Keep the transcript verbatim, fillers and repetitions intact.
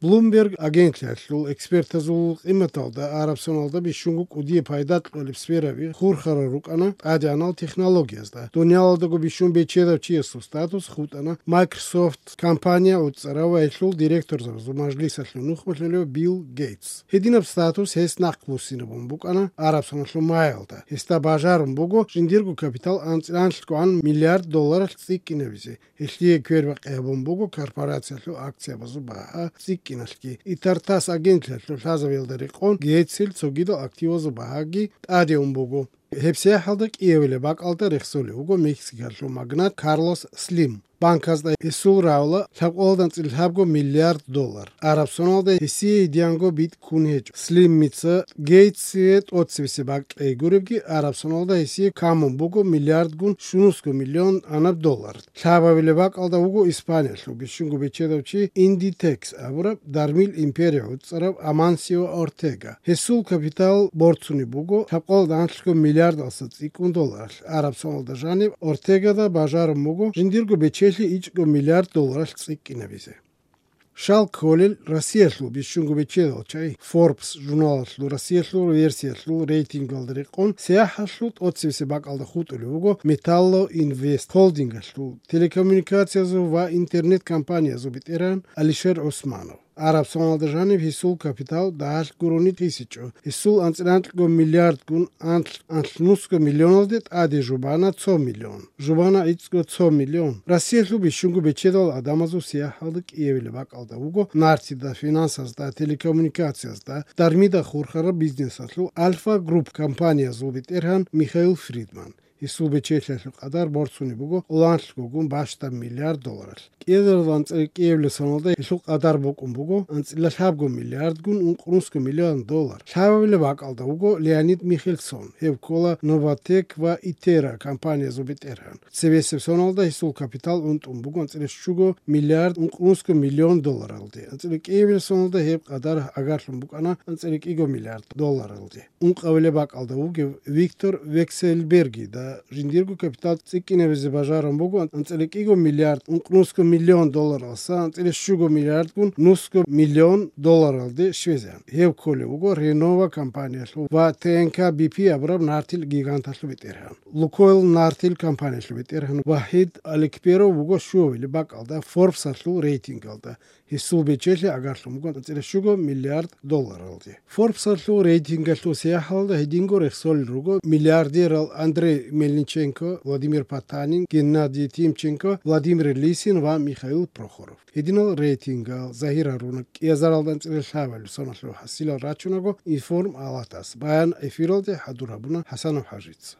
Bloomberg агентлъиялъул экспертазул къиматалда Арабсоналда бищунго кӀудияб пайда кьолеб сфераби хурхарал рукӀана тӀадегӀанал технологиязда. Дуниялалдаго бищун бечедав чиясул статус хутӀана Microsoft компания гӀуцӀарав ва гьелъул директорзабазул мажлисалъул нухмалъулев Билл Гейтс. Гьединаб статус гьес нахъбуссинабун букӀана Арабсоналъул маялда. Гьесда бажарун буго жиндирго капитал анцӀила анлъгогӀан миллиард долларалъ цӀикӀкӀинабизе. Гьелъие квербакъи гьабун буго корпорациялъул акциябазул багьа цӀикӀкӀиналъги. И тартас агентлъиялъул лъазабиялда рекъон Гейтсил цогидал активазул багьаги тӀаде ун буго. Гьеб сахӀалда кӀиявилеб бакӀалда рехсолев вуго Мексикалъул магнат Карлос Слим. Банказда гьесул рагӀула лъабкъоялда анцӀила лъабго миллиард доллар. Арабсоналда гьесие гьединго битӀ ккун гьечӀо. Слимица Гейтсие тӀоцебесеб бакӀ кьей гуребги, Арабсоналда гьесие камун буго миллиардгун щунусго миллион анаб доллар. Лъабабилеб бакӀалда вуго Испаниялъул бищунго бечедав чи Индитекс абураб дармил империя гӀуцӀарав Амансио Ортега. Гьесул капитал борцунеб буго лъабкъоялда анлъго миллиардалъа цӀикӀкӀун долларалъ. Арабсоналда жаниб Ортегада бажарун буго жиндирго бечелъи ичӀго миллиард долларалъ цӀикӀкӀинабизе. Шал кколел Россиялъул бищунго бечедал чагӀи Forbes журналалъул Россиялъул версиялъул рейтингалда рекъон, сахӀалъул тӀоцебесеб бакӀалда хутӀулев вуго Металлоинвест холдингалъул телекоммуникациязул ва интернет-компаниязул бетӀергьан Алишер Усманов. Арабсоналда жаниб гьесул капитал дагьалъ гурони хисичӀо. Гьесул анцӀила анлъго миллиардгун анлъ, анлънусго миллионалде тӀаде жубана цо миллион. Жубана гӀицӀго цо миллион. Россиялъул бищунго бечедал гӀадамазул сахӀалда кӀиявилеб бакӀалда вуго нартида, финансазда, телекоммуникациязда, дармида хурхараб бизнесалъул Альфа Групп компаниязул бетӀергьан Михаил Фридман. Гьесул бечелъиялъул къадар борцунеб буго оланлъгогун бащдаб миллиард долларалъ. КӀиазарал анцӀила кӀиявилеб соналда гьелъул къадар букӀун буго анцӀила лъабго миллиардгун ункънусго миллион доллар. Лъабабилеб бакӀалда вуго Леонид Михельсон, гьев ккола Новатэк ва Итера компаниязул бетӀергьан. Цебесеб соналда гьесул капитал унтӀун буго анцӀила щуго миллиард ункънусго миллион долларалде. АнцӀила кӀиявилеб соналда гьеб къадар агарлъун букӀана анцӀила кӀиго миллиард долларалде. Ункъабилеб бакӀалда вугев Виктор Векселбергида жиндирго капитал цӀикӀкӀинабизе бажарун буго анцӀила кӀиго миллиард ункънусго миллион долларалъа анцӀила щуго миллиардгун нусго миллион долларалде щвезегӀан. Гьев кколев вуго Ренова компаниялъул ва Т Н К Б П абураб нартил гиганталъул бетӀергьан. Лукойл нартил компаниялъул бетӀергьан Вахид Аликперов вуго щуабилеб бакӀалда Форбсалъул рейтингалда. Гьесул бечелъи агарлъун буго анцӀила щуго миллиард долларалде. Форбсалъул рейтингалъул сахӀалда гьединго рехсолел руго миллиардерал Андрей Мельниченко, Владимир Потанин, Геннадий Тимченко, Владимир Лисин ва Михаил Прохоров. Гьединал рейтингал загьир гьаруна кӀиазаралда анцӀила лъабабилеб соналъул хӀасилал рачунаго информ алатас. Баян эфиралде хӀадур гьабуна ХӀасанов ХӀажица.